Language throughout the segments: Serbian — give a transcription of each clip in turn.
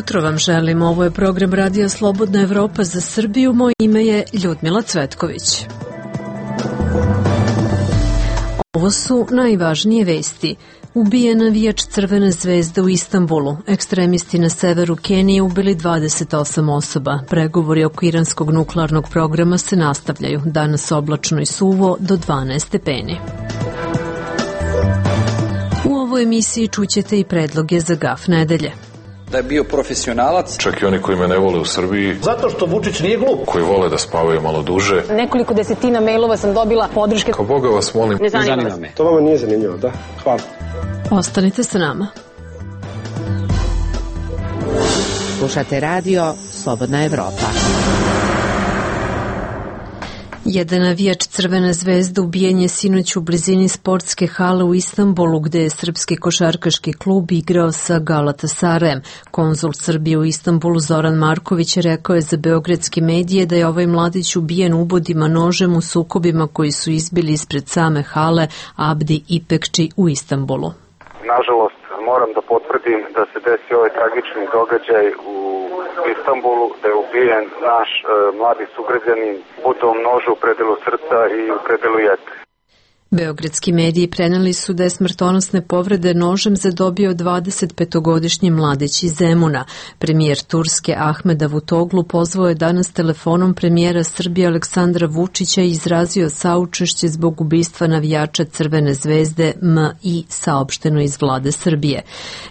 jutro vam želim. Ovo je program Radija Slobodna Evropa za Srbiju. Moje ime je Ljudmila Cvetković. Ovo su najvažnije vesti. Ubijen navijač Crvene zvezde u Istanbulu. Ekstremisti na severu Kenije ubili 28 osoba. Pregovori oko iranskog nuklearnog programa se nastavljaju. Danas oblačno i suvo do 12 stepeni. U ovoj emisiji čućete i predloge za gaf nedelje. Da je bio profesionalac. Čak i oni koji me ne vole u Srbiji. Zato što Vučić nije glup. Koji vole da spavaju malo duže. Nekoliko desetina mailova sam dobila podrške. Kao Boga vas molim. Ne zanima me. To vama nije zanimljivo, da? Hvala. Ostanite sa nama. Slušate radio Slobodna Evropa. Jedan navijač Crvene zvezde ubijen je sinoć u blizini sportske hale u Istanbulu, gde je srpski košarkaški klub igrao sa Galatasarajem. Konzul Srbije u Istanbulu Zoran Marković rekao je za beogradske medije da je ovaj mladić ubijen ubodima nožem u sukobima koji su izbili ispred same hale Abdi İpekçi u Istanbulu. Nažalost, moram da potvrdim da se desio ovaj tragični događaj u Istanbulu, da je ubijen naš mladi sugrađanin udom noža u predelu srca i u predelu jetre. Beogradski mediji preneli su da je smrtonosne povrede nožem zadobio 25-godišnji mladić iz Zemuna. Premijer Turske Ahmed Davutoglu pozvao je danas telefonom premijera Srbije Aleksandra Vučića i izrazio saučešće zbog ubistva navijača Crvene zvezde MI, saopšteno iz vlade Srbije.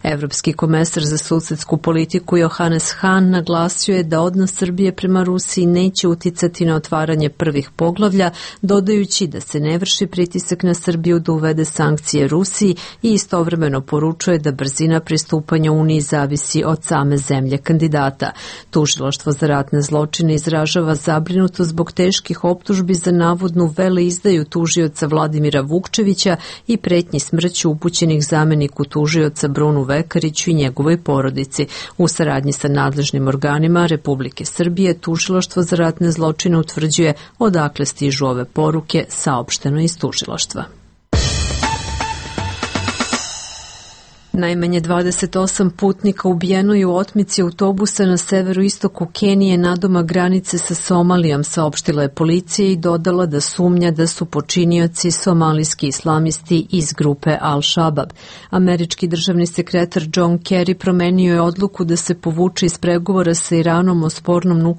Evropski komesar za susedsku politiku Johannes Hahn naglasio je da odnos Srbije prema Rusiji neće uticati na otvaranje prvih poglavlja, dodajući da se ne vrši pritisak na Srbiju da uvede sankcije Rusiji i istovremeno poručuje da brzina pristupanja Uniji zavisi od same zemlje kandidata. Tužilaštvo za ratne zločine izražava zabrinutost zbog teških optužbi za navodnu veleizdaju tužioca Vladimira Vukčevića i pretnji smrću upućenih zameniku tužioca Brunu Vekariću i njegovoj porodici. U saradnji sa nadležnim organima Republike Srbije, tužilaštvo za ratne zločine utvrđuje odakle stižu ove poruke, saopšteno iz tužilaštva. Najmanje 28 putnika ubijeno je u otmici autobusa na severoistoku Kenije nadomak granice sa Somalijom, saopštila je policija i dodala da sumnja da su počinioci somalijski islamisti iz grupe Al-Shabaab. Američki državni sekretar John Kerry promenio je odluku da se povuče iz pregovora sa Iranom o spornom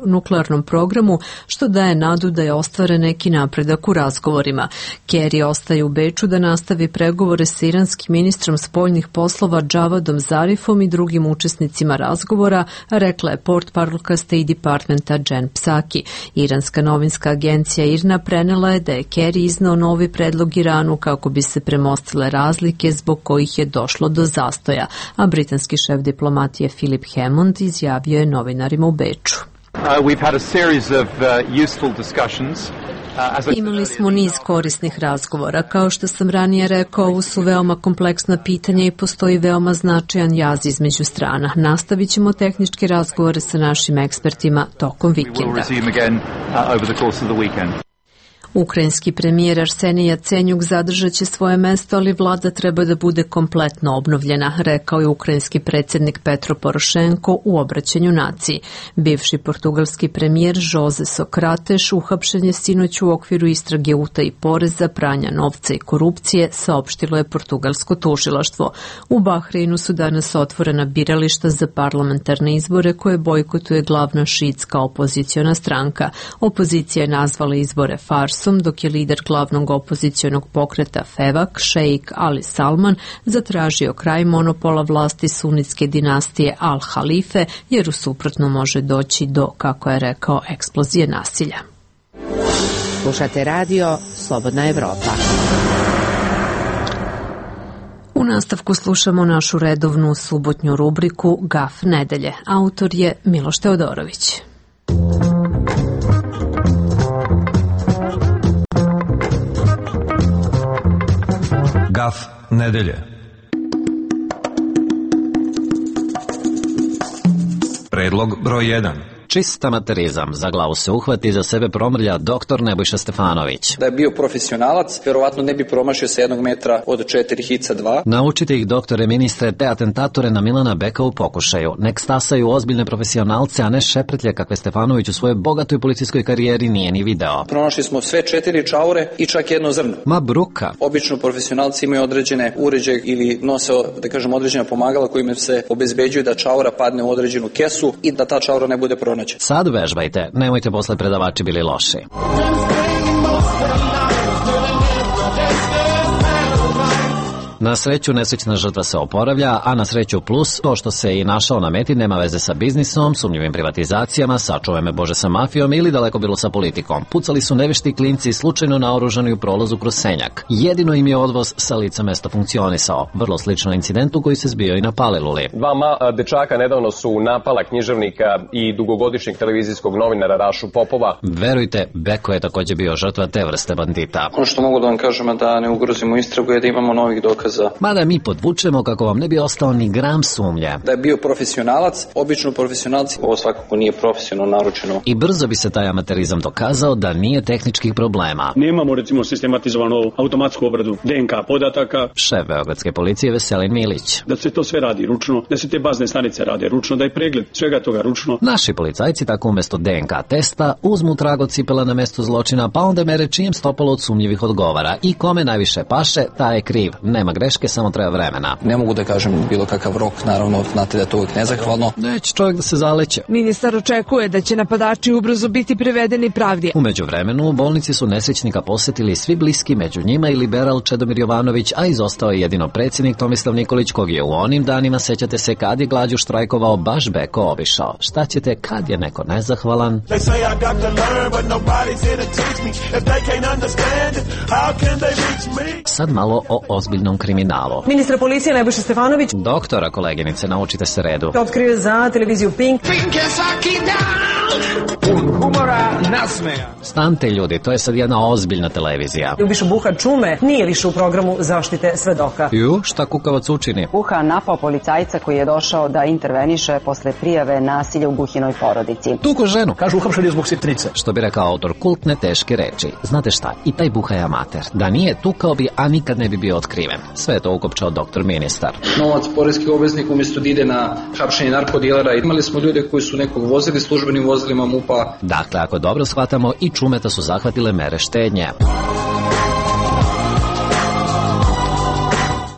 nuklearnom programu, što daje nadu da je ostvaren neki napredak u razgovorima. Kerry ostaje u Beču da nastavi pregovore sa iranskim ministrom spoljnih poslova Javadom Zarifom i drugim učesnicima razgovora, rekla je portparolka State Departmenta Jen Psaki. Iranska novinska agencija IRNA prenela je da je Kerry iznao novi predlog Iranu kako bi se premostile razlike zbog kojih je došlo do zastoja, a britanski šef diplomatije Philip Hammond izjavio je novinarima u Beču. We've had a series of useful discussions. Imali smo niz korisnih razgovora. Kao što sam ranije rekao, ovo su veoma kompleksna pitanja i postoji veoma značajan jaz između strana. Nastavit ćemo tehničke razgovore sa našim ekspertima tokom vikenda. Ukrajinski premijer Arsenij Jacenjuk zadržat će svoje mesto, ali vlada treba da bude kompletno obnovljena, rekao je ukrajinski predsjednik Petro Porošenko u obraćanju naciji. Bivši portugalski premijer Jose Socrates uhapšen je sinoć u okviru istrage utaje poreza, pranja novca i korupcije, saopštilo je portugalsko tužilaštvo. U Bahreinu su danas otvorena birališta za parlamentarne izbore koje bojkotuje glavna šiitska opoziciona stranka. Opozicija je nazvala izbore farsom, dok je lider glavnog opozicionog pokreta FEVAK, šejik Ali Salman, zatražio kraj monopola vlasti sunitske dinastije Al-Halife, jer u suprotno može doći do, kako je rekao, eksplozije nasilja. Slušate radio Slobodna Evropa. U nastavku slušamo našu redovnu subotnju rubriku Gaf nedelje. Autor je Miloš Teodorović. Gaf nedelje. Predlog broj 1. Čist amaterizam. Za glavu se uhvati, za sebe promrlja doktor Nebojša Stefanović. Da je bio profesionalac, verovatno ne bi promašio sa 1 metra od 4 hica 2. Naučite ih, doktore, ministre, te atentatore na Milana Beka u pokušaju. Nek stasaju ozbiljne profesionalce, a ne šepretlje kakve Stefanović u svojoj bogatoj policijskoj karijeri nije ni video. Pronašli smo sve 4 čaure i čak 1 zrno. Ma bruka. Obično profesionalci imaju određene uređaje ili nose, da kažem, određena pomagala kojima se obezbeđuju da čaura padne u određenu kesu i da ta čaura ne bude pronađena. Sad vežbajte, nemojte posle predavači bili loši. Na sreću nesrećna žrtva se oporavlja, a na sreću plus to što se i našao na meti nema veze sa biznisom, sumnjivim privatizacijama, sačuvaj me Bože sa mafijom ili daleko bilo sa politikom. Pucali su nevešti klinci slučajno naoružani u prolazu kroz Senjak. Jedino im je odvoz sa lica mesta funkcionisao, vrlo slično incidentu koji se zbio i na Paliluli. 2 dečaka nedavno su napala književnika i dugogodišnjeg televizijskog novinara Rašu Popova. Verujte, Beko je takođe bio žrtva te vrste bandita. Ono što mogu da vam kažem, da ne ugrozimo istragu, je da imamo novih dokaza. Mada mi podvučemo kako vam ne bi ostao ni gram sumnje. Da je bio profesionalac, obično profesionalci, ovo svakako nije profesionalno naručeno. I brzo bi se taj amaterizam dokazao da nije tehničkih problema. Nemamo recimo sistematizovanu automatsku obradu DNK podataka. Šef beogradske policije Veselin Milić. Da se to sve radi ručno, da se te bazne stanice rade ručno, da je pregled svega toga ručno. Naši policajci tako umesto DNK testa uzmu trag od cipela na mestu zločina, pa onda mere čijem stopalo od sumnjivih odgovara. I kome najviše paše, taj je kriv. Nema greške, samo treba vremena. Ne mogu da kažem bilo kakav rok, naravno, znate da je to uvijek nezahvalno. Neće čovjek da se zaleće. Ministar očekuje da će napadači ubrzo biti privedeni pravdi. U međuvremenu, u bolnici su nesrećnika posetili svi bliski, među njima i liberal Čedomir Jovanović, a izostao je jedino predsjednik Tomislav Nikolić, kog je u onim danima, sećate se, kad je glađu štrajkovao, baš Beko obišao. Šta ćete kad je neko nezahvalan? Sad malo o ozbiljnom kriminalu. Ministar policije Nebojša Stefanović. Doktora, koleginice, naučite se redu. Otkrio za televiziju Pink. Humora nasmeja. Stante ljudi, to je sad jedna ozbiljna televizija. Ljubiša Buha Čume nije više u programu zaštite svedoka. Šta kukavac učini? Buha napao policajca koji je došao da interveniše posle prijave nasilja u Buhinoj porodici. Tuko ženu. Kažu uhapšen je zbog sitnice. Što bi rekao autor kultne teške reči. Znate šta, i taj Buha je amater. Da nije tukao bi, a nikad ne bi bio otkriven. Sve je to ukopčao doktor ministar. Novac poreskih obveznika umjesto da ide na hapšenje narkodilera. Imali smo ljude koji su nekog vozili službenim vozilima MUP-a. Dakle, ako dobro shvatamo, i Čumeta su zahvatile mere štednje.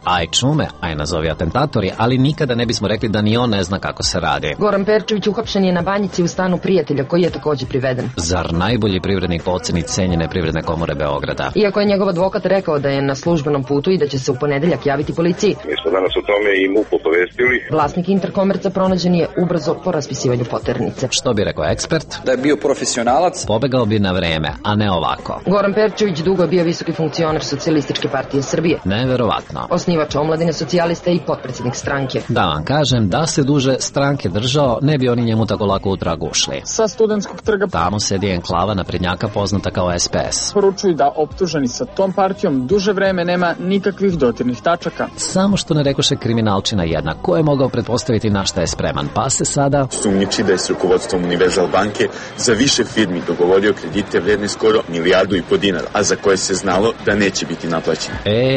Aj Čume, aj nazovi atentatori, ali nikada ne bismo rekli da ni on ne zna kako se radi. Goran Perčević uhapšen je na Banjici u stanu prijatelja koji je takođe priveden. Zar najbolji privrednik po oceni cenjene Privredne komore Beograda? Iako je njegov advokat rekao da je na službenom putu i da će se u ponedeljak javiti policiji. Mi smo danas o tome i MUP obavestili. Vlasnik Interkomerca pronađen je ubrzo po raspisivanju poternice. Što bi rekao ekspert? Da je bio profesionalac, pobegao bi na vreme, a ne ovako. Goran Perčević dugo je bio visoki funkcioner Socijalističke partije Srbije. Neverovatno. Osnivač omladine socijalista i potpredsjednik stranke. Da vam kažem, da se duže stranke držao, ne bi oni njemu tako lako u trag ušli. Sa Studentskog trga tamo sedi enklava naprednjaka poznata kao SPS. Poručuju da optuženi sa tom partijom duže vreme nema nikakvih dotirnih tačaka. Samo što ne rekoše kriminalčina jedna. Ko je mogao pretpostaviti na šta je spreman? Pa se sada sumnjiči da je s rukovodstvom Univerzal banke za više firmi dogovorio kredite vredne skoro 1,5 milijardu dinara, a za koje se znalo da neće biti naplaćeni.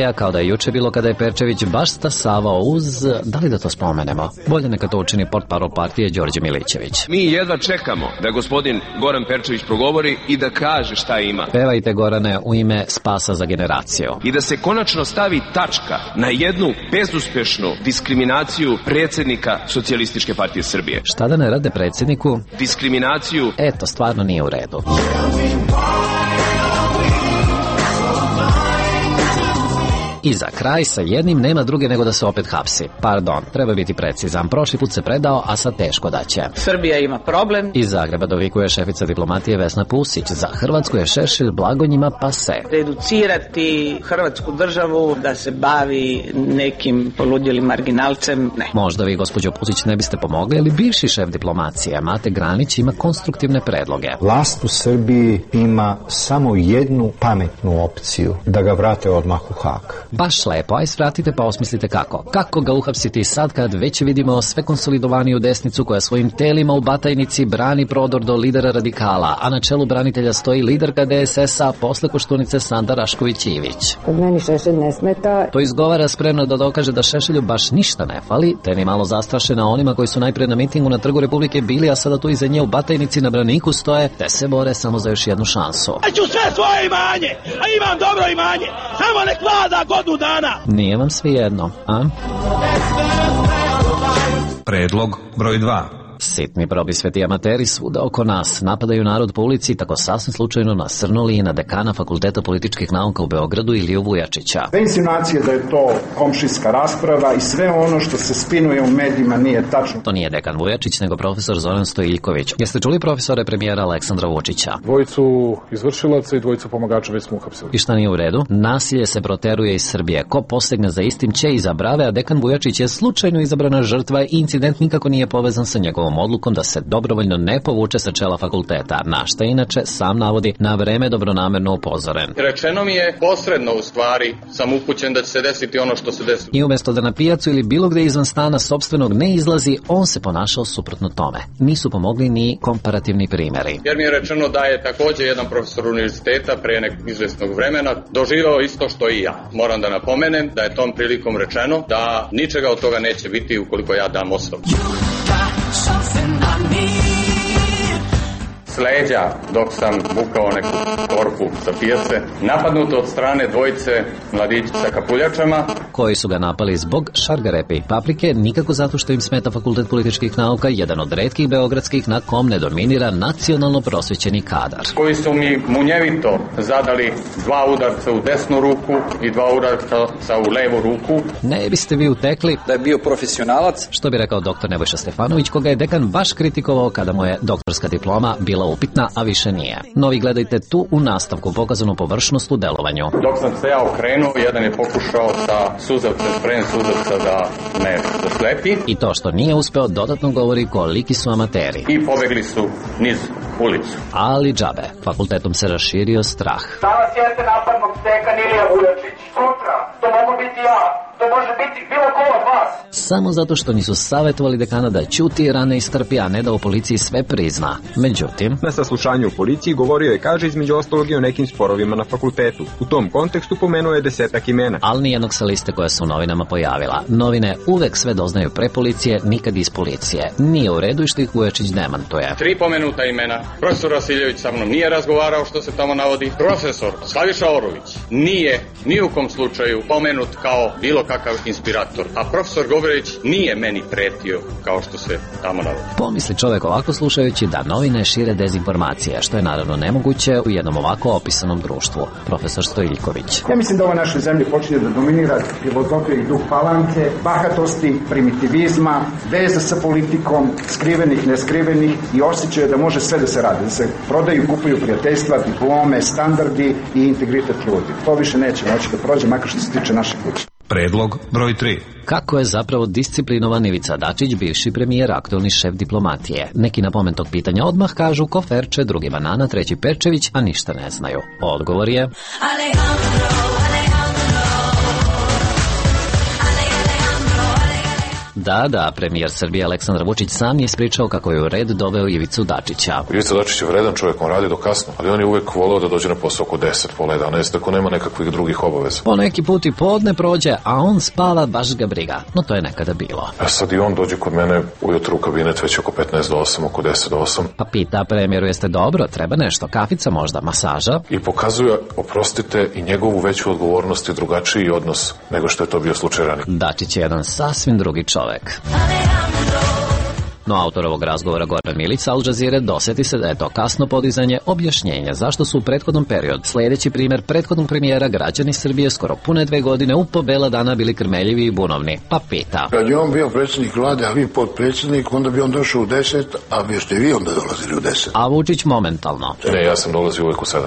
A kao da je juče bilo kada je Perčević baš stasavao uz, da li da to spomenemo? Bolje neka to učini portparol partije Đorđe Milićević. Mi jedva čekamo da gospodin Goran Perčević progovori i da kaže šta ima. Pevajte, Gorane, u ime Spasa za generaciju. I da se konačno stavi tačka na jednu bezuspešnu diskriminaciju predsjednika Socijalističke partije Srbije. Šta da ne rade predsjedniku? Diskriminaciju. Eto, stvarno nije u redu. I za kraj, sa jednim nema druge nego da se opet hapsi. Pardon, treba biti precizan. Prošli put se predao, a sad teško da će. Srbija ima problem. Iz Zagreba dovikuje šefica diplomatije Vesna Pusić. Za Hrvatsku je Šešelj blagonjima pase. Reducirati Hrvatsku državu da se bavi nekim poludjelim marginalcem, ne. Možda vi, gospođo Pusić, ne biste pomogli, ali bivši šef diplomacije Mate Granić ima konstruktivne predloge. Vlast u Srbiji ima samo jednu pametnu opciju, da ga vrate odmah u Hag. Baš lepo, aj svratite pa osmislite kako. Kako ga uhapsiti sad kad već vidimo sve konsolidovaniju desnicu koja svojim telima u Batajnici brani prodor do lidera radikala, a na čelu branitelja stoji liderka DSS-a posle Koštunice Sanda Rašković-Ivić. Kod meni Šešelj ne smeta. To izgovara spremno da dokaže da Šešelju baš ništa ne fali, te ni malo zastrašena onima koji su najpre na mitingu na Trgu Republike bili, a sada tu iza nje u Batajnici na braniku stoje, te se bore samo za još jednu šansu. Ja ću sve svoje imanje, a imam dobro imanje, samo nek vlada godinu dana. Nije vam svi jedno, a? Predlog broj 2. Sitni probisveti amateri svuda oko nas napadaju narod po ulici, tako sasvim slučajno nasrnuli i na dekana Fakulteta političkih nauka u Beogradu Iliju Vujačića. Te insinuacije da je to komšijska rasprava i sve ono što se spinuje u medijima nije tačno. To nije dekan Vujačić, nego profesor Zoran Stojiljković. Jeste čuli profesore premijera Aleksandra Vučića? Dvojicu izvršilaca i dvojicu pomagača već smo uhapsili. I šta nije u redu? Nasilje se proteruje iz Srbije. Ko posegne za istim će iza brave, a dekan Vujačić je slučajno izabrana žrtva i incident nikako nije povezan sa njegovom odlukom da se dobrovoljno ne povuče sa čela fakulteta, na šta inače sam navodi na vreme dobronamerno upozoren. Rečeno mi je posredno u stvari, sam upućen da će se desiti ono što se desilo. I umjesto da na pijacu ili bilo gde izvan stana sopstvenog ne izlazi, on se ponašao suprotno tome. Nisu pomogli ni komparativni primjeri. Jer mi je rečeno da je također jedan profesor univerziteta pre nekog izvesnog vremena doživao isto što i ja. Moram da napomenem da je tom prilikom rečeno da ničega od toga neće biti ukoliko ja dam ostavku. S leđa, dok sam bukao neku korpu sa pijace, napadnuto od strane dvojice mladića sa kapuljačama. Koji su ga napali zbog šargarepe i paprike, nikako zato što im smeta Fakultet političkih nauka, jedan od retkih beogradskih na kom ne dominira nacionalno prosvećeni kadar. Koji su mi munjevito zadali 2 udarca u desnu ruku i 2 udarca u levu ruku. Ne biste vi utekli da je bio profesionalac, što bi rekao doktor Nebojša Stefanović, koga je dekan baš kritikovao kada mu je doktorska diploma bila upitna, a više nije. No vi gledajte tu u nastavku pokazanu površnost u delovanju. Dok sam se ja okrenuo, jedan je pokušao sa suzavcem, sprem suzavca da me zaslepi. I to što nije uspeo dodatno govori koliki su amateri. I pobegli su niz ulicu. Ali džabe, fakultetom se raširio strah. Danas jeste napadnog dekan Ilija Vujačić. Sutra, to mogu biti ja. To može biti bilo ko od vas. Samo zato što nisu savjetovali dekana da ćuti i rane istrpi, a ne da u policiji sve prizna. Međutim, na saslušanju u policiji govorio je, kaže, između ostalog i o nekim sporovima na fakultetu. U tom kontekstu pomenuo je 10 imena. Ali nijednog sa liste koja se u novinama pojavila. Novine uvek sve doznaju pre policije, nikad iz policije. Nije u redu i što ih Vujačić demantuje. 3 pomenuta imena. Profesor Vasiljević sa mnom nije razgovarao što se tamo navodi. Profesor Slaviša Orović nije ni u kom slučaju pomenut kao bilo kakav inspirator. A profesor Govorić nije meni pretio kao što se tamo navodi. Pomisli čovjek ovako slušajući da novine šire dezinformacije, što je naravno nemoguće u jednom ovako opisanom društvu. Profesor Stojiljković. Ja mislim da ova našoj zemlji počinje da dominira filozofija i duh falante, bahatosti, primitivizma, veza sa politikom, skrivenih, neskrivenih i osjećaja da može sve da se radi, da se prodaju, kupuju prijateljstva, diplome, standardi i integritet ljudi. To više neće moći da prođe, makar što se tiče naše kuće. Predlog broj 3. Kako je zapravo disciplinovan Ivica Dačić, bivši premijer, aktualni šef diplomatije? Neki na pomen tog pitanja odmah kažu Koferče, drugi Banana, treći Perčević, a ništa ne znaju. Odgovor je... Da, premijer Srbije Aleksandar Vučić sam je ispričao kako je u red doveo Ivicu Dačića. Ivica Dačić je vredan čovjek, on radi do kasno, ali on je uvek voleo da dođe na posao oko 10, pola 11, tako nema nekakvih drugih obaveza. Po neki put i podne prođe, a on spava, baš ga briga. No to je nekada bilo. A sad i on dođe kod mene ujutru u kabinet već oko 15 do 8, oko 10 do 8. Pa pita premijeru, jeste dobro, treba nešto, kafica možda, masaža? I pokazuje, oprostite, i njegovu veću odgovornost i drugačiji odnos nego što je to bio slučaj ranije. Dačić je jedan sasvim drugi čovjek. No autor ovog razgovora Goran Milić sa Al Jazeere dosjeti se da je to kasno podizanje objašnjenja zašto su u prethodnom periodu, sljedeći primjer prethodnog premijera, građani Srbije skoro pune 2 godine u po bela dana bili krmeljivi i bunovni. Pa pita. Kad je on bio predsjednik vlade, a vi potpredsjednik, onda bi on došao u 10, a biste vi onda dolazili u 10. A Vučić momentalno. Ne, ja sam dolazio uvek u 7.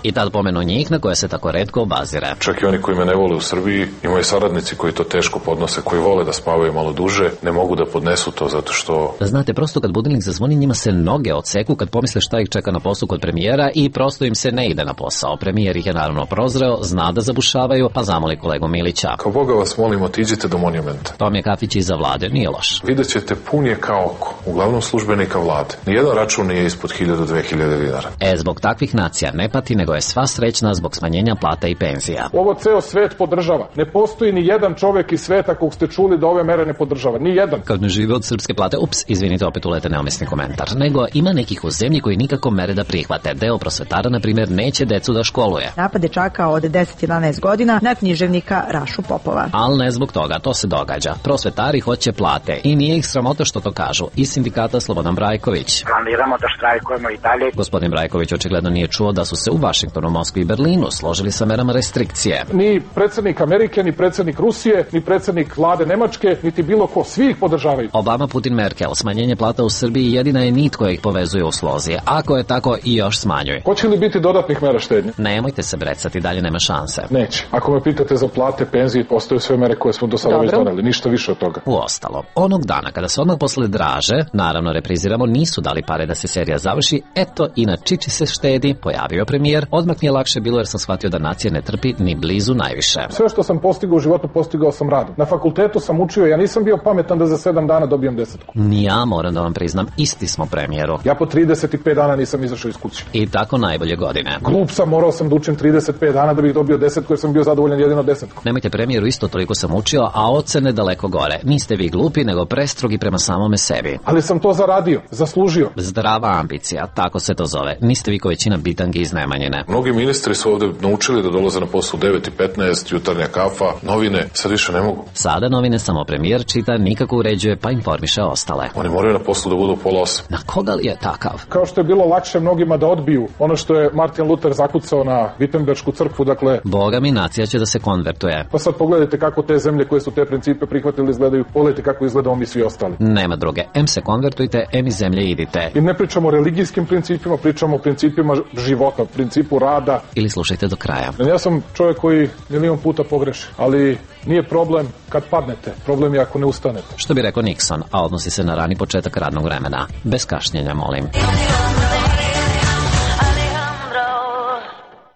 I tad pomenu njih na koje se tako retko obazire. Čak i oni koji me ne vole u Srbiji, imaju saradnici koji to teško podnose, koji vole da spavaju malo duže, ne mogu da podnesu to zato što... Znate, prosto kad budilnik zazvoni, njima se noge odseku kad pomisle šta ih čeka na poslu kod premijera i prosto im se ne ide na posao. Premijer ih je naravno prozreo, zna da zabušavaju, pa zamoli kolegu Milića. Kao Boga vas molim, otiđite do monumenta. Tom je kafić iza vlade, nije loš. Vidjet ćete, pun je kao oko, uglavnom službenika vlade. Nijedan račun nije ispod 1000-2000 dinara. Zbog takvih nacija ne pati, nego je sva srećna zbog smanjenja plata i penzija. Ovo ceo svet podržava. Ne postoji ni jedan čovek iz sveta kog ste čuli da ove mere ne podržava. Ni jedan. Kad ne žive od srpske plate, izvinite, opet ulete neumesni komentar. Nego ima nekih u zemlji koji nikako mere da prihvate. Deo prosvetara, na primjer, neće decu da školuje. Napad dečaka od 10-11 godina na književnika Rašu Popova. Ali ne zbog toga, to se događa. Prosvetari hoće plate i nije ih sramota što to kažu. Iz sindikata Slobodan Brajković. Planiramo da štrajkujemo i dalje. Gospodin Brajković očigledno nije čuo da su se u Vašingtonu, Moskvi i Berlinu složili sa merama restrikcije. Ni predsjednik Amerike, ni predsjednik Rusije, ni predsjednik vlade Nemačke, niti bilo ko, svi ih podržavaju. Obama, Putin, Merkel, smanjenje plata u Srbiji jedina je nit koja ih povezuje u slozi. Ako je tako, i još smanjuje. Hoće li biti dodatnih mera štednje? Nemojte se brecati, dalje nema šanse. Neće. Ako me pitate za plate, penzije, ostaju sve mere koje smo do sada već doneli, ništa više od toga. Uostalo, onog dana kada se odmah posle draže, naravno repriziramo, nisu dali pare da se serija završi, eto i na čiči se štedi, pojavio premijer, odmah mi je lakše bilo jer sam shvatio da nacija ne trpi ni blizu najviše. Sve što sam postigao u životu, postigao sam radom. Na fakultetu sam učio, ja nisam bio pametan da za 7 dana dobijem 10. Ni ja moram da vam priznam, isti smo premijeru. Ja po 35 dana nisam izašao iz kuće. I tako najbolje godine. Glup sam, morao sam da učim 35 dana da bih dobio 10, jer sam bio zadovoljan jedino 10. Nemojte, premijeru, isto toliko sam učio, a ocene daleko gore. Niste vi glupi, nego prestrogi prema samome sebi. Ali sam to zaradio, zaslužio. Zdrava ambicija, tako se to zove. Niste vi ko većina bitangi iz Nemanjine. Mnogi ministri su ovde naučili da dolaze na poslu 9:15, jutarnja kafa, novine, sad više ne mogu. Sada novine samo premijer čita, nikako uređuje, pa informiše ostale. Oni moraju na poslu da budu u 7:30. Na koga li je takav? Kao što je bilo lakše mnogima da odbiju ono što je Martin Luther zakucao na Wittenbergsku crkvu, dakle... Boga mi, nacija će da se konvertuje. Pa sad pogledajte kako te zemlje koje su te principe prihvatili izgledaju, pogledajte kako izgledamo mi svi ostali. Nema druge, em se konvertujte, em iz zemlje idite. I ne pričamo o religijskim principima, pričamo o principima života, principu rada. Ili slušajte do kraja. Ja sam čovjek koji milion puta pogreši, ali nije problem kad padnete, problem je ako ne ustanete. Što bi rekao Nixon, a odnosi se na rani početak radnog vremena. Bez kašnjenja, molim.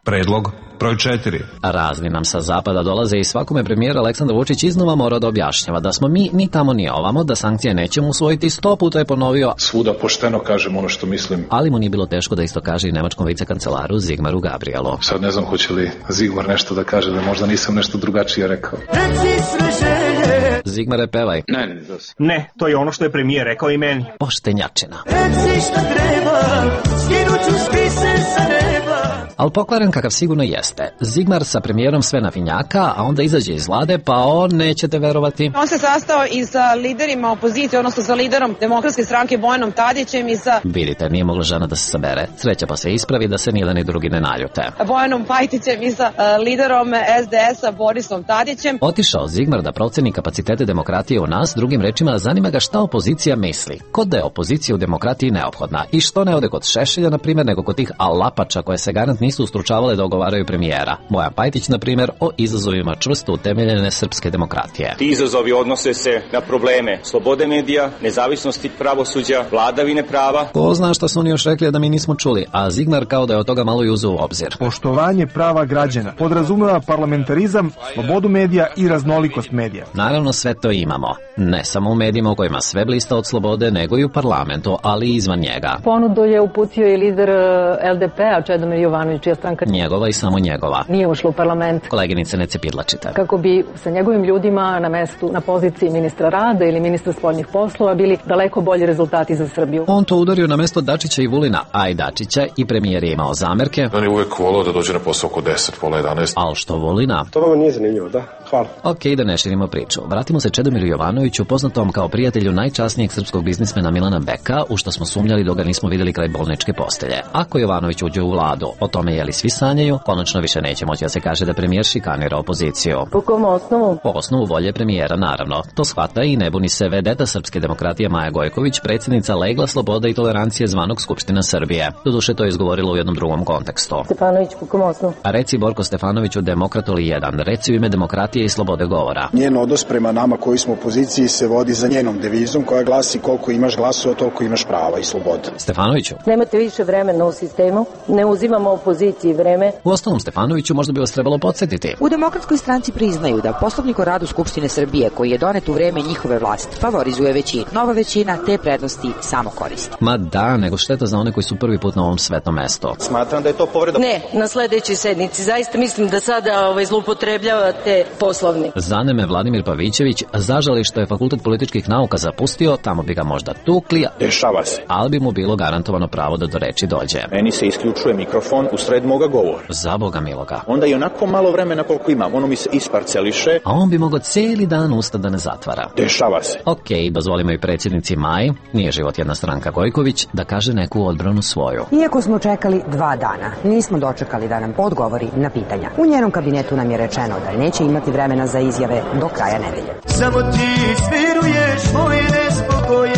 Predlog broj 4. Razni nam sa zapada dolaze i svakome premijer Aleksandar Vučić iznova mora da objašnjava da smo mi ni tamo ni ovamo, da sankcije nećemo usvojiti, 100 puta je ponovio. Svuda pošteno kažem ono što mislim. Ali mu nije bilo teško da isto kaže i nemačkom vicekancelaru Zigmaru Gabrielu. Sad ne znam hoće li Zigmar nešto da kaže, da možda nisam nešto drugačije rekao. Zigmare, pevaj. Ne, to je ono što je premijer rekao i meni. Poštenjačina. Ali pokvaren kakav sigurno jeste. Zigmar sa premijerom sve nafinjaka, a onda izađe iz vlade, pa on, nećete verovati. On se sastao i sa liderima opozicije, odnosno sa liderom Demokratske stranke Bojanom Tadićem i sa... Vidite, nije mogla žena da se sabere. Sreća pa se ispravi da se ni jedan ni drugi ne naljute. Bojanom Pajtićem i sa liderom SDS-a Borisom Tadićem. Otišao Zigmar da proceni kapacitete demokratije u nas, drugim rečima zanima ga šta opozicija misli. Kod da je opozicija u demokratiji neophodna i što ne ode kod Šešelja, na primjer, nego kod tih alapača koje se garant nisu ustručavale da ogovaraju premijera. Bojan Pajtić, na primjer, o izazovima čvrsto utemeljene srpske demokratije. Ti izazovi odnose se na probleme slobode medija, nezavisnosti pravosuđa, vladavine prava. Ko zna šta su oni još rekli da mi nismo čuli, a Zigmar kao da je od toga malo i uzeo u obzir. Poštovanje prava građana podrazumeva parlamentarizam, slobodu medija i raznolikost medija. Naravno, sve to imamo. Ne samo u medijima u kojima sve blista od slobode, nego i u parlamentu, ali i izvan njega. Ponudu je uputio i lider LDP-a, Čedomir Jovanović, čija stranka njegova i samo njegova. Nije ušla u parlament. Koleginice, ne cepidlačite. Kako bi sa njegovim ljudima na mestu, na poziciji ministra rada ili ministra spoljnih poslova bili daleko bolji rezultati za Srbiju. On to udario na mesto Dačića i Vulina, a i Dačića i premijer je imao zamerke. On je uvek volao da dođe na posao oko 10, pola 11. Al što Vulina? To vama nije zanimljivo, da? Hvala. Okej, da ne širimo priču. Vratimo se Čedomiru Jovanoviću, poznatom kao prijatelju najčasnijeg srpskog biznismena Milana Beka, u što smo sumnjali dok ga nismo videli kraj bolničke postelje. Ako Jovanović uđe u vladu, o tome tome je li svi sanjaju, konačno više neće moći da se kaže da premijer šikanira opoziciju. Po kom osnovu? Po osnovu volje premijera, naravno. To shvata i ne buni se vedeta Srpske demokratije Maja Gojković, predsjednica Legla slobode i tolerancije zvanog Skupština Srbije. Doduše to je izgovorila u jednom drugom kontekstu. Stefanović, po kom osnovu? A reci Borko Stefanoviću Demokratoli 1, reci u ime demokratije i slobode govora. Njen odnos prema nama koji smo u opoziciji se vodi za njenom devizom koja glasi koliko imaš glasova, toliko imaš prava i slobode. Stefanoviću. Nemate više vremena u sistemu, ne uzimamo opoziciji vreme. U ostalom Stefanoviću možda bi vas trebalo podsjetiti. U Demokratskoj stranci priznaju da Poslovnik o radu Skupštine Srbije koji je donet u vreme njihove vlasti favorizuje većinu. Nova većina te prednosti samo koristi. Ma da, nego šteta za one koji su prvi put na ovom svetom mestu. Smatram da je to povreda... Ne, na sledećoj sednici. Zaista mislim da sada zloupotrebljavate Poslovnik. Zaneme Vladimir Pavićević, zažali što je Fakultet političkih nauka zapustio, tamo bi ga možda tukli. Dešava se. Ali bi mu bilo garantovano pravo da do reči dođe. Meni se isključuje mikrofon u sred moga govora. Za Boga miloga. Onda i onako malo vremena koliko imam, ono mi se isparceliše. A on bi mogao cijeli dan usta da ne zatvara. Dešava se. Okej, dozvolimo i predsjednici Maji, nije život jedna stranka Gojković, da kaže neku odbranu svoju. Iako smo čekali 2 dana, nismo dočekali da nam odgovori na pitanja. U njenom kabinetu nam je rečeno da neće imati vremena za izjave do kraja nedelje. Samo ti smiruješ moje nespokoje,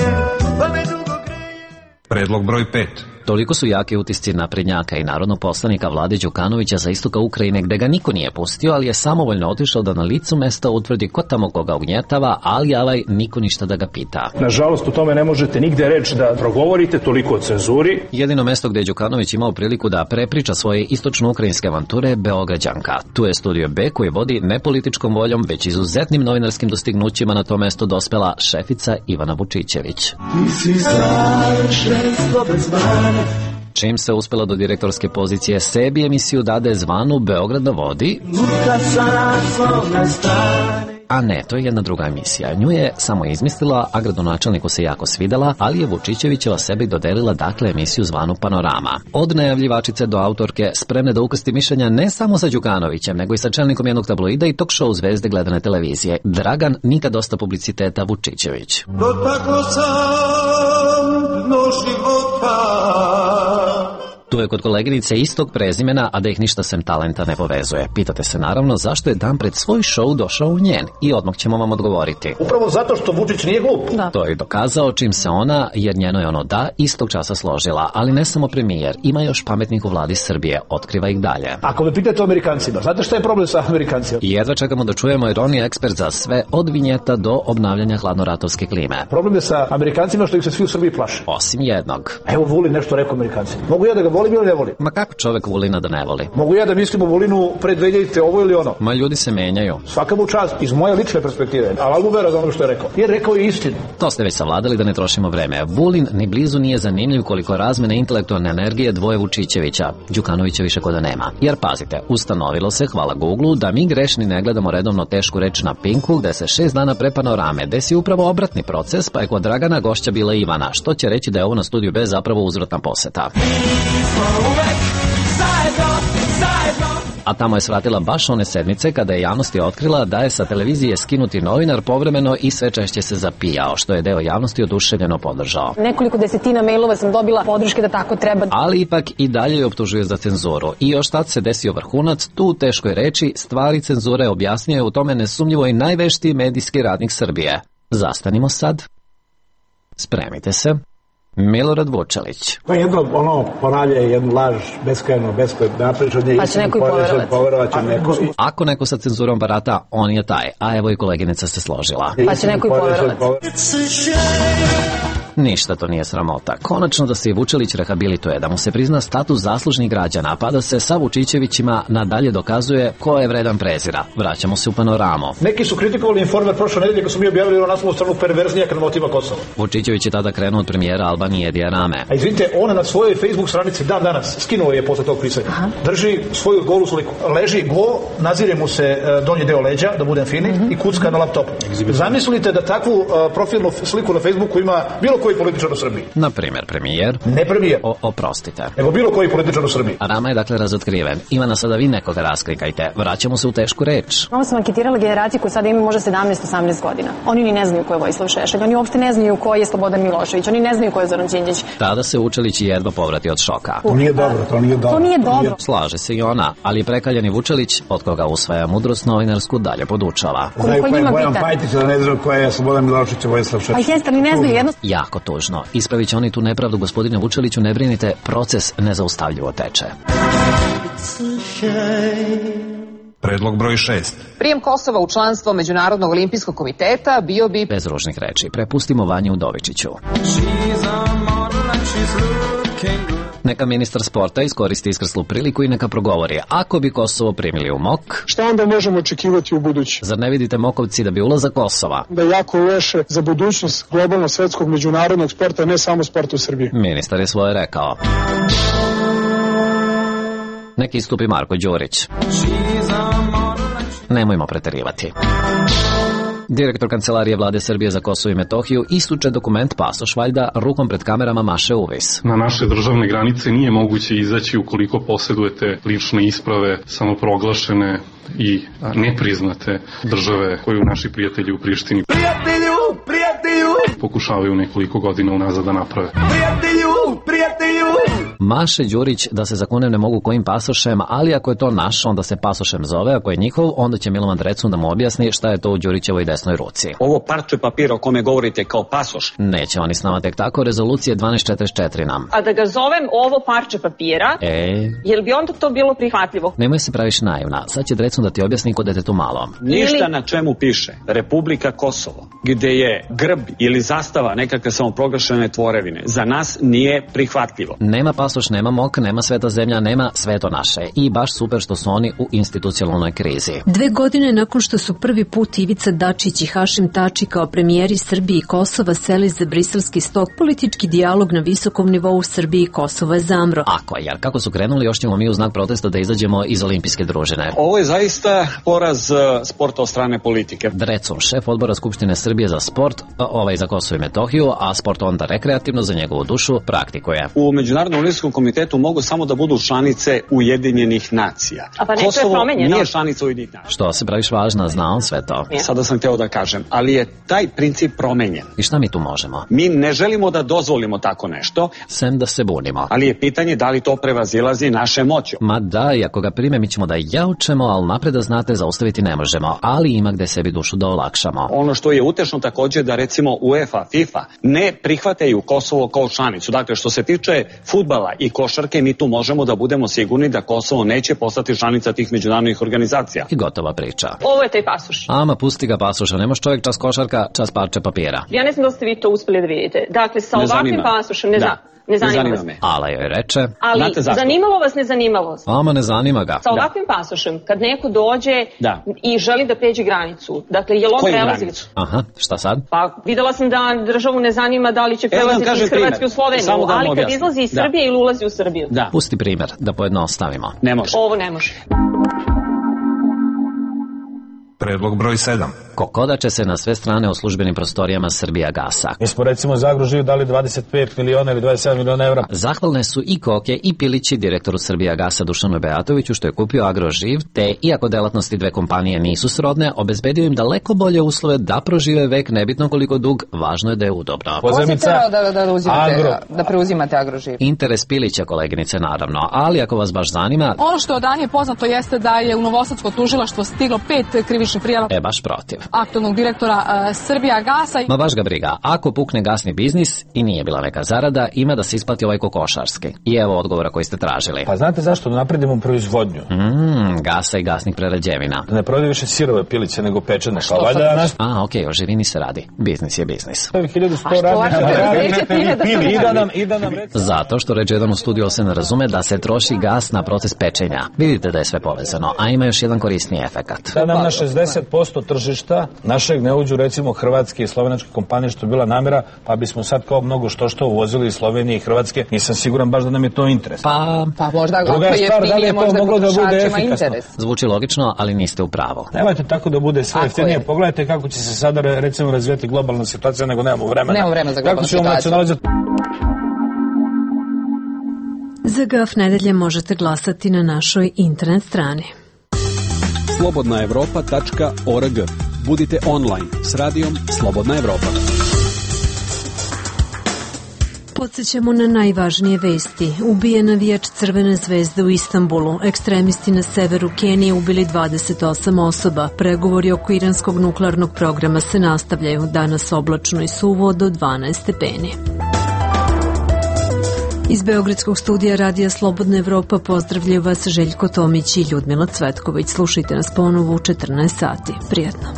pa me dugo greje. Predlog broj 5. Toliko su jaki utisci naprednjaka i narodnog poslanika Vlade Đukanovića za istoka Ukrajine gde ga niko nije pustio, ali je samovoljno otišao da na licu mesta utvrdi ko tamo koga ugnjetava, ali niko ništa da ga pita. Nažalost, u tome ne možete nigde reći da progovorite, toliko o cenzuri. Jedino mesto gde je Đukanović imao priliku da prepriča svoje istočno-ukrajinske avanture je Beograđanka. Tu je Studio B koji vodi ne političkom voljom, već izuzetnim novinarskim dostignućima na to mesto dospela šefica Ivana Vučićević. Ti si savršenstvo bez mane. Čim se uspela do direktorske pozicije, sebi emisiju dade zvanu Beograd na vodi. A ne, to je jedna druga emisija. Nju je samo izmislila, a gradonačelniku se jako svidela, ali je Vučićevićeva sebi dodelila dakle emisiju zvanu Panorama. Od najavljivačice do autorke, spremne da ukrsti mišljenja ne samo sa Đukanovićem, nego i sa čelnikom jednog tabloida i talk show zvezde gledane televizije. Dragan, nikad dosta publiciteta, Vučićević. Dotaklo sam dno života. Tu je kod koleginice istog prezimena, a da ih ništa sem talenta ne povezuje. Pitate se naravno zašto je dan pred svoj show došao u njen i odmah ćemo vam odgovoriti. Upravo zato što Vučić nije glup. Da. To je dokazao čim se ona, jer njeno je ono da, istog časa složila. Ali ne samo premijer, ima još pametnih u vladi Srbije, otkriva ih dalje. Ako me pitate o Amerikancima, znate šta je problem sa Amerikancima? I jedva čekamo da čujemo jer on je ekspert za sve, od vinjeta do obnavljanja hladnoratovske klime. Problem je sa Amerikancima što ih se svi u Srbiji plaše. Osim jednog. Evo Vulin nešto rekao Amerikancima. Mogu ja da ga volim ili ne volim? Ma kako čovek Vulina da ne voli? Mogu ja da mislim o Vulinu pre 2000 ovo ili ono? Ma ljudi se menjaju. Svaka mu čast, iz moje lične perspektive, ali mu vera za ono što je rekao. Jer rekao je istinu. To ste već savladali da ne trošimo vreme. Vulin ni blizu nije zanimljiv koliko razmene intelektualne energije dvoje Vučićevića. Đukanovića više kod da nema. Jer pazite, ustanovilo se, hvala Google, da mi grešni ne gledamo redovno tešku reč na Pinku, gde se 6 dana pre Panorame desi upravo obratni proces, pa je kod Dragana gošća bila Ivana, što će reći da je ovo na Studiju B zapravo uzvratna poseta. A tamo je svratila baš one sedmice kada je javnosti otkrila da je sa televizije skinuti novinar povremeno i sve češće se zapijao, što je deo javnosti oduševljeno podržao. Nekoliko desetina mailova sam dobila podrške da tako treba. Ali ipak i dalje je optužuje za cenzuru. I još tad se desio vrhunac, tu u teškoj reči, stvari cenzure objasnio je u tome nesumnjivo i najveštiji medijski radnik Srbije. Zastanimo sad. Spremite se. Milorad Vučelić. To je jedno, ponavlja jednu laž, beskrajno, napričanje. Pa će neko i poverovaće neko. Ako neko sa cenzurom barata, on je taj. A evo i koleginica se složila. Pa će neko i poverovati. Ništa to nije sramota. Konačno da se i Vučelić rehabilituje, da mu se prizna status zaslužnih građana, pa da se sa Vučićevićima nadalje dokazuje ko je vredan prezira. Vraćamo se u Panoramu. Neki su kritikovali Informer prošle nedelje kad su mi objavili na naslovnu stranu perverznijak na motiva Kosova. Vučićević je tada krenuo od premijera Albanije Edija Rame. A izvinite, ona na svojoj Facebook stranici dan danas skinuo je posle tog pisanja. Drži svoju golu sliku. Leži go, nazire mu se donji deo leđa, da budem fini, i kucka na laptopu. Zamislite da takvu profilnu sliku na Facebooku ima bilo koji političar u Srbiji. Na primjer, premijer. Ne premijer. Oprostite. Nego bilo koji političar u Srbiji. Rama je dakle razotkriven. Ivana, sada vi nekoga rasklikajte. Vraćamo se u tešku reč. Ovo sam anketirala generaciju koju sada ima možda 17-18 godina. Oni ni ne znaju ko je Vojislav Šešelj, oni uopšte ne znaju ko je Slobodan Milošević, oni ne znaju ko je Zoran Đinđić. Tada se Vučelić jedva povrati od šoka. To nije dobro. To nije dobro. Slaže se i ona, ali prekaljani Vučelić, od koga usvaja mudrost novinarsku, dalje podučava. Znaju ko je Bojan Pajtić, da ne znaju ko je Slobodan Milošević i Vojislav Šešelj. Pa jeste, ali ne znaju jedno. Jako tužno. Ispravit će oni tu nepravdu, gospodine Vučeliću, ne brinite, proces nezaustavljivo teče. Predlog broj 6. Prijem Kosova u članstvo Međunarodnog olimpijskog komiteta bio bi... Bez ružnih reči, prepustimo Vanju Udovičiću. Neka ministar sporta iskoristi iskrslu priliku i neka progovori. Ako bi Kosovo primili u MOK... Šta onda možemo očekivati u budući? Zar ne vidite Mokovci da bi ulazak Kosova... Da je jako loše za budućnost globalno svetskog međunarodnog sporta, ne samo sporta u Srbiji. Ministar je svoje rekao. Neki istupi Marko Đurić. Nemojmo preterivati. Direktor Kancelarije Vlade Srbije za Kosovo i Metohiju istuče dokument pasoš, valjda rukom pred kamerama maše uvis. Na naše državne granice nije moguće izaći ukoliko posjedujete lične isprave samoproglašene i nepriznate države koju naši prijatelji u Prištini pokušavaju nekoliko godina unazad da naprave. Maše Đurić da se zakunem ne mogu kojim pasošem, ali ako je to naš, onda se pasošem zove, ako je njihov, onda će Milovan Drecun da mu objasni šta je to u Đurićevoj desnoj ruci. Ovo parče papira o kome govorite kao pasoš. Neće oni s nama tek tako, rezolucije 1244 nam. A da ga zovem ovo parče papira, jel bi onda to bilo prihvatljivo? Nemoj se praviš naivna, sad će Drecun da ti objasni kod detetu malo. Ništa na čemu piše Republika Kosovo, gde je grb ili zastava nekakve samoproglašene tvorevine, za nas nije prihvatljivo. Nema pasoš, nema MOK, nema sveta zemlja, nema sve to naše. I baš super što su oni u institucionalnoj krizi. 2 godine nakon što su prvi put Ivica Dačić i Hašim Tači kao premijeri Srbije i Kosova seli za briselski stok, politički dijalog na visokom nivou Srbije i Kosova je zamro. Ako, jer kako su krenuli, još ćemo mi u znak protesta da izađemo iz olimpijske družine. Ovo je zaista poraz sporta od strane politike. Drecun, šef odbora Skupštine Srbije za sport, za Kosovo i Metohiju, a sport onda rekreativno za njegovu dušu praktikuje. U Međunarodnom olimpijskom komitetu mogu samo da budu članice Ujedinjenih nacija. A pa nešto Kosovo je promenjeno. nije članica Ujedinjenih nacija. Što se praviš važna, zna on sve to. Sada sam hteo da kažem, ali je taj princip promenjen. I šta mi tu možemo? Mi ne želimo da dozvolimo tako nešto. Sem da se bunimo. Ali je pitanje da li to prevazilazi naše moći. Ma da, i ako ga prime, mi ćemo da jaučemo, ali napred da znate, zaustaviti ne možemo. Ali ima gde sebi dušu da olakšamo. Ono što je utešno također da recimo UEFA, FIFA ne prihvataju Kosovo kao članicu. Dakle, što se tiče fudbala i košarke, mi tu možemo da budemo sigurni da Kosovo neće postati članica tih međunarodnih organizacija. I gotova priča. Ovo je taj pasoš. Ama pusti ga pasoša, ne može čovjek čas košarka, čas parče papira. Ja ne znam da ste vi to uspeli da vidite. Dakle, sa ovakvim pasošem ne zanima me. Ala joj reče. Ali zanimalo vas, ne zanimalo vas. Ama ne zanima ga. Sa ovakvim pasošem, kad neko dođe i želi da pređe granicu, dakle, je li on prelazi? Aha, šta sad? Pa videla sam da državu ne zanima da li će prelaziti iz Hrvatske u Sloveniju, ali kad izlazi iz Srbije ili ulazi u Srbiju. Pusti primjer, da pojednostavimo. Ne može. Ovo ne može. Predlog broj 7. Kokodače se na sve strane u službenim prostorijama Srbijagasa. Mi smo recimo za Agroživ dali 25 miliona ili 27 miliona evra. Zahvalne su i Koke i Pilići direktoru Srbijagasa Dušanu Beatoviću što je kupio Agroživ, te iako delatnosti dve kompanije nisu srodne, obezbedio im daleko bolje uslove da prožive vek, nebitno koliko dug, važno je da je udobno. Ko si da preuzimate Agroživ? Interes Pilića, koleginice, naravno, ali ako vas baš zanima... Ono što od ranije poznato jeste da je u Novosadsko tužilaštvo stiglo 5 krivičnih prijava. Baš protiv. Aktualnog direktora Srbijagasa. Ma baš ga briga. Ako pukne gasni biznis i nije bila neka zarada, ima da se isplati ovaj kokošarski. I evo odgovora koji ste tražili. Pa znate zašto? Da napredimo proizvodnju. Gasa i gasnih prerađevina. Da ne prodaju više sirove piliće nego pečene. Okej, o živini se radi. Biznis je biznis. 1100 radnika. Zato što reče jedan u studiju se ne razume da se troši gas na proces pečenja. Vidite da je sve povezano, a ima još jedan korisniji efekat. Da nam na 60% tržišta Beograda našeg ne uđu recimo hrvatske i slovenačke kompanije, što je bila namera, pa bismo sad kao mnogo što uvozili iz Slovenije i Hrvatske. Nisam siguran baš da nam je to interes. Pa možda ako je jeftinije, možda potrošačima interes. Zvuči logično, ali niste u pravu. Nemojte tako da bude sve jeftinije. Pogledajte kako će se sada recimo razvijeti globalna situacija, nego nemamo vremena. Nemamo vremena za globalnu situaciju. Za GAF nedelje možete glasati na našoj internet strani. slobodnaevropa.org. Budite online s radijom Slobodna Evropa. Podsjećamo na najvažnije vesti. Ubije navijač Crvene zvezde u Istanbulu. Ekstremisti na severu Kenije ubili 28 osoba. Pregovori oko iranskog nuklearnog programa se nastavljaju. Danas oblačno i suvo do 12 stepeni. Iz Beogradskog studija Radija Slobodna Evropa pozdravljaju vas Željko Tomić i Ljudmila Cvetković. Slušajte nas ponovo u 14 sati. Prijatno.